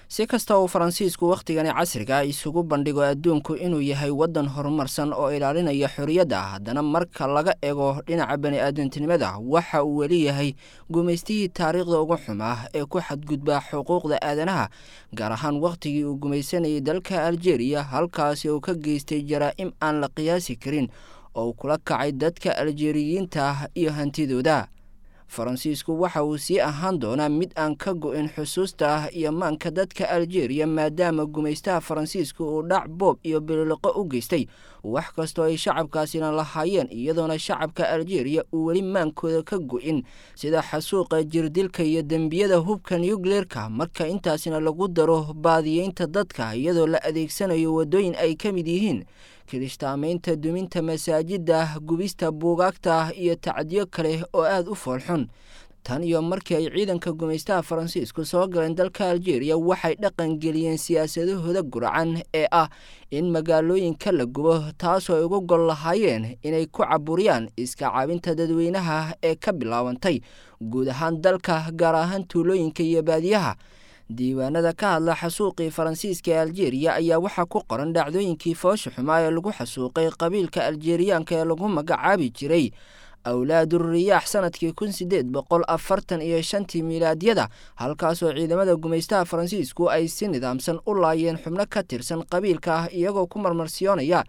Si kasta uu Faransiisku wakhtigani casriga isugu bandhigo adduunku inuu yahay waddan horumarsan oo ilaalinaya xorriyadda, haddana marka laga eego dhinaca bani-aadantinimada waxa uu weli yahay gumaystihii taariikhda ugu xumaa ee ku xadgudba xuquuqda aadanaha, gaar ahaan wakhtigii uu gumaysanayay dalka Aljeeriya, halkaasi uu ka geystay jaraa'im aan la qiyaasi karin oo uu kula kacay dadka Aljeeriyiinta ah iyo hantidooda. Faransiisku waxa uu sii ahaan doonaa mid aan ka go-in xusuusta ah iyo maanka dadka Aljeeriya, maadaama gumaystaha Faransiisku uu dhac, boob iyo bililiqo u geystay wax kastoo ay shacabkaasina lahaayeen, iyadoona shacabka Aljeeriya uu weli maankooda ka go-in sida xasuuqa, jirdilka iyo dembiyada hubka nucleerka. Marka intaasina lagu daro baadiyeynta dadka iyadoo la adeegsanayo waddooyin ay ka mid yihiin kirishtaamaynta, duminta masaajidda, gubista buugaagta iyo tacdiyo kale oo aada u foolxun. Tan iyo markii ay ciidanka gumaystaha Faransiisku soo galeen dalka Aljeeriya, waxay dhaqan geliyeen siyaasadahooda guracan ee ah in magaalooyinka la gubo, taasoo ay uga gol lahaayeen inay ku caburiyaan iska caabinta dadweynaha ee ka bilaabantay guud ahaan dalka, gaar ahaan tuulooyinka iyo baadiyaha. Diiwaanada ka hadla xasuuqii Faransiiska ee Aljeeriya ayaa waxaa ku qoran dhacdooyinkii foosha xumaa ee lagu xasuuqay qabiilka Aljeeriyaanka ee lagu magacaabi jiray Awlaaduriyaax sanadkii 1845-tii miilaadyada, halkaasoo ciidamada gumaystaha Faransiisku ay si nidaamsan u laayeen xubno ka tirsan qabiilka ah, iyagoo ku marmarsiyoonaya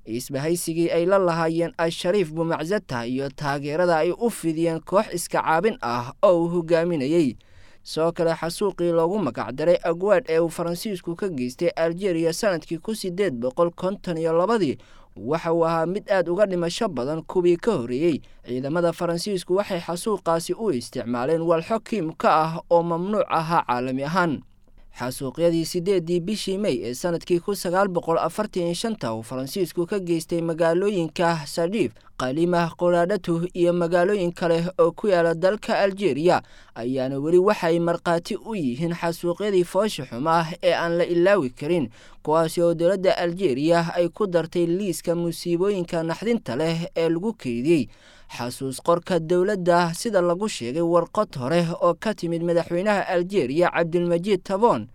isbahaysigii ay la lahaayeen Al-Shariif Bumaczata iyo taageerada ay u fidiyeen koox iska caabin ah oo uu hogaaminayey. Sidoo kale xasuuqii loogu magacdaray Agwaad ee uu Faransiisku ka geystay Aljeeriya sanadkii 1852 waxa uu ahaa mid aad uga dhimasho badan kuwii ka horreeyey. Ciidamada Faransiisku waxay xasuuqaasi u isticmaaleen walxo kiimka ah oo mamnuuc ahaa caalami ahaan. Xasuuqyadii 8-dii bishii Mey ee sanadkii 1945-ta uu Faransiisku ka geystay magaalooyinka Sadiif, Qalimah, Qoraadhatu iyo magaalooyin kale oo ku yaala dalka Aljeeriya ayaana weli waxay markhaati u yihiin xasuuqyadii foosha xumaah ee aan la ilaawi karin, kuwaasi oo dowladda Aljeeriya ay ku dartay liiska musiibooyinka naxdinta leh ee lagu keydiyey xasuus qorka dowladda, sida lagu sheegay warqad hore oo ka timid madaxweynaha Aljeeriya Cabdilmajiid Taboon.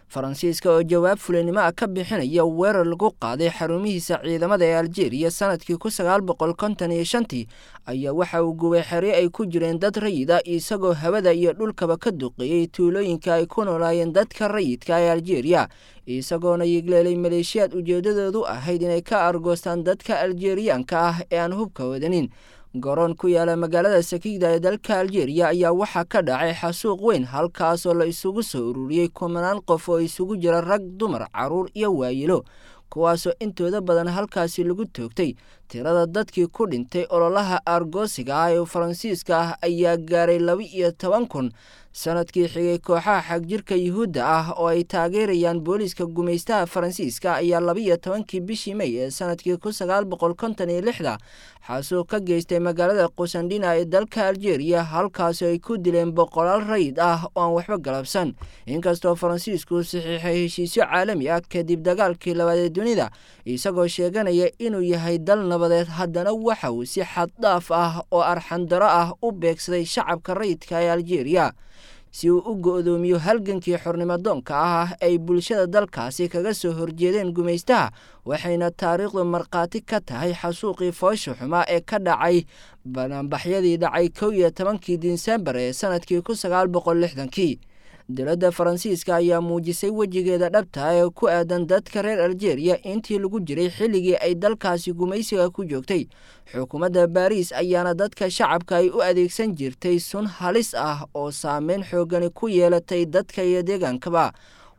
Faransiiska oo jawaab fulinimo ah ka bixinaya weerar lagu qaaday xarumihiisa ciidamada ee Aljeeriya sanadkii 1955-tii ayaa waxa uu gubay xeryo ay ku jireen dad rayida, isagoo hawada iyo dhulkaba ka duqeeyey tuulooyinka ay ku noolaayeen dadka rayidka ee Aljeeriya, isagoona yigleelay maleeshiyaad ujeedadoodu ahayd inay ka argoostaan dadka Aljeeriyaanka ah ee aan hubka wadanin. Garoon ku yaala magaalada Sakiida ee dalka Aljeeriya ayaa waxaa ka dhacay xasuuq weyn, halkaasoo la isugu soo ururiyey kumanaan qof oo isugu jira rag, dumar, carruur iyo waayilo, kuwaasoo intooda badan halkaasi lagu toogtay. Tirada dadkii ku dhintay ololaha argoosiga ah ee Faransiiska ah ayaa gaaray 12,000. Sanadkii xigay, kooxaha xagjirka Yuhuudda ah oo ay taageerayaan booliiska gumaystaha Faransiiska ayaa 12-kii bishii Mey ee sanadkii 1956-da xasuuq ka geystay magaalada Qusandhina ee dalka Aljeeriya, halkaasi ay ku dileen boqolaal rayid ah oo aan waxba galabsan. Inkastoo Faransiisku saxiixay heshiisyo caalami ah kadib dagaalkii labaad ee dunida, isagoo sheeganaya inuu yahay dal nabadeed, haddana waxa uu si xad dhaaf ah oo arxandaro ah u beegsaday shacabka rayidka ee Aljeeriya si uu u go'doomiyo halgankii xornimadoonka ah ay bulshada dalkaasi kaga soo horjeedeen gumaystaha. Waxayna taariikhdu markhaati ka tahay xasuuqii foosha xumaa ee ka dhacay banaanbaxyadii dhacay 11-kii Disembar ee sanadkii 1960-kii. Dowladda Faransiiska ayaa muujisay wejigeeda dhabta ee ku aadan dadka reer Aljeeriya intii lagu jiray xilligii ay dalkaasi gumaysiga ku joogtay. Xukuumadda Baariis ayaana dadka shacabka ay u adeegsan jirtay sun halis ah oo saameyn xoogani ku yeelatay dadka iyo deegaankaba.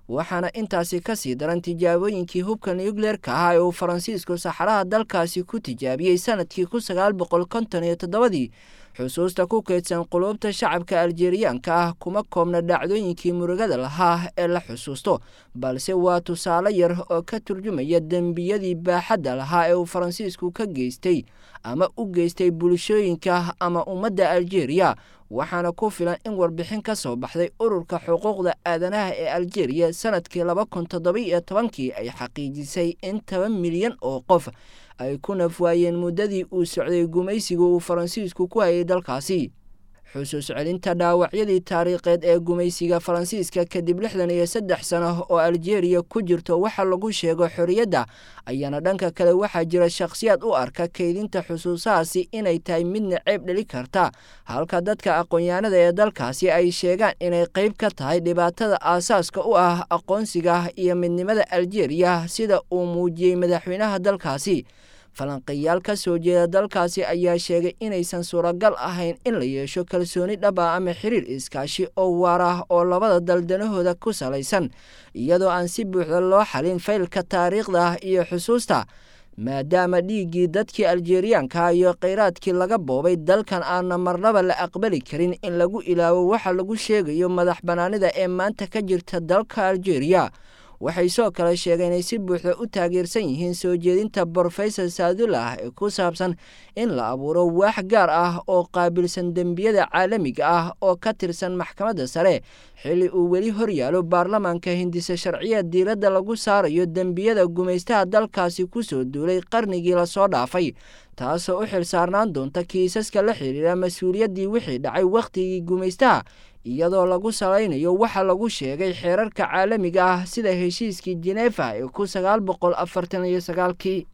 Waxaana intaasi ka sii daran tijaabooyinkii hubka nucleerka ah ee uu Faransiisku saxaraha dalkaasi ku tijaabiyey sanadkii 1957-dii. Xusuusta ku kaydsan quluubta shacabka Aljeeriyaanka ah kuma koobna dhacdooyinkii murugada lahaa ee la xusuusto, balse waa tusaale yar oo ka turjumaya dembiyadii baaxadda lahaa ee uu Faransiisku ka geystay ama u geystay bulshooyinka ama ummadda Aljeeriya. Waxaana ku filan in warbixin ka soo baxday ururka xuquuqda aadanaha ee Aljeeriya sanadkii 2017-kii ay xaqiijisay in 10 milyan oo qof ay ku nafwaayeen muddadii uu socday gumaysiga uu Faransiisku ku hayay dalkaasi. Xusuus celinta dhaawacyadii taariikheed ee gumaysiga Faransiiska kadib 63 sano oo Aljeeriya ku jirto waxa lagu sheego xorriyadda ayaana dhanka kale waxaa jira shakhsiyaad u arka kaydinta xusuusahaasi inay tahay midna ceeb dheli karta, halka dadka aqoon-yahanada ee dalkaasi ay sheegaan inay qayb ka tahay dhibaatada aasaaska u ah aqoonsiga iyo midnimada Aljeeriya, sida uu muujiyey madaxweynaha dalkaasi. Falanqeyaal ka soo jeeda dalkaasi ayaa sheegay inaysan suuragal ahayn in la yeesho kalsooni dhab ah ama xiriir iskaashi oo waar ah oo labada dal danahooda ku salaysan, iyadoo aan si buuxda loo xalin faylka taariikhda iyo xusuusta, maadaama dhiiggii dadkii Aljeeriyaanka iyo kheyraadkii laga boobay dalkan aana marnaba la aqbali karin in lagu ilaawo waxa lagu sheegayo madax bannaanida ee maanta ka jirta dalka Aljeeriya. Waxay soo kale sheegeen inay si buuxda u taageersan yihiin soo jeedinta Brofesor Saadullah ee ku saabsan in la abuuro waax gaar ah oo qaabilsan dembiyada caalamiga ah oo ka tirsan maxkamadda sare, xilli uu weli horyaalo baarlamaanka hindise sharciya diiradda lagu saarayo dembiyada gumaystaha dalkaasi kusoo duulay qarnigii lasoo dhaafay, taasoo u xil saarnaan doonta kiisaska la xiriira mas-uuliyaddii wixii dhacay wakhtigii gumaystaha, iyadoo lagu salaynayo waxa lagu sheegay xeerarka caalamiga ah sida heshiiskii Jineefa ee 1949-kii.